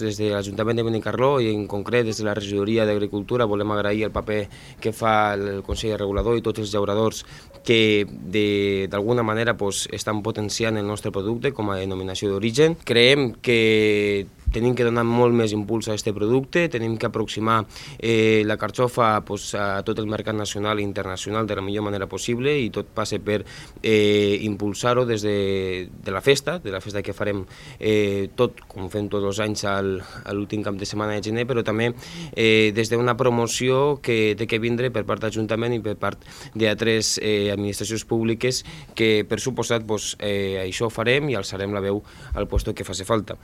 Des de l'Ajuntament de Benicarló i en concret des de la Regidoria d'Agricultura volem agrair el paper que fa el Consell Regulador i tots els llauradors que d'alguna manera estan potenciant el nostre producte com a denominació d'origen. Creiem que tenim que donar molt més impuls a aquest producte, tenim que aproximar la carxofa a tot el mercat nacional i internacional de la millor manera possible i tot passa per impulsar-ho des de la festa que farem tot com fem tots els anys a l'últim cap de setmana de gener, però també des d'una promoció que té que vindre per part d'Ajuntament i per part d'altres administracions públiques que per suposat això ho farem i alçarem la veu al lloc que faci falta.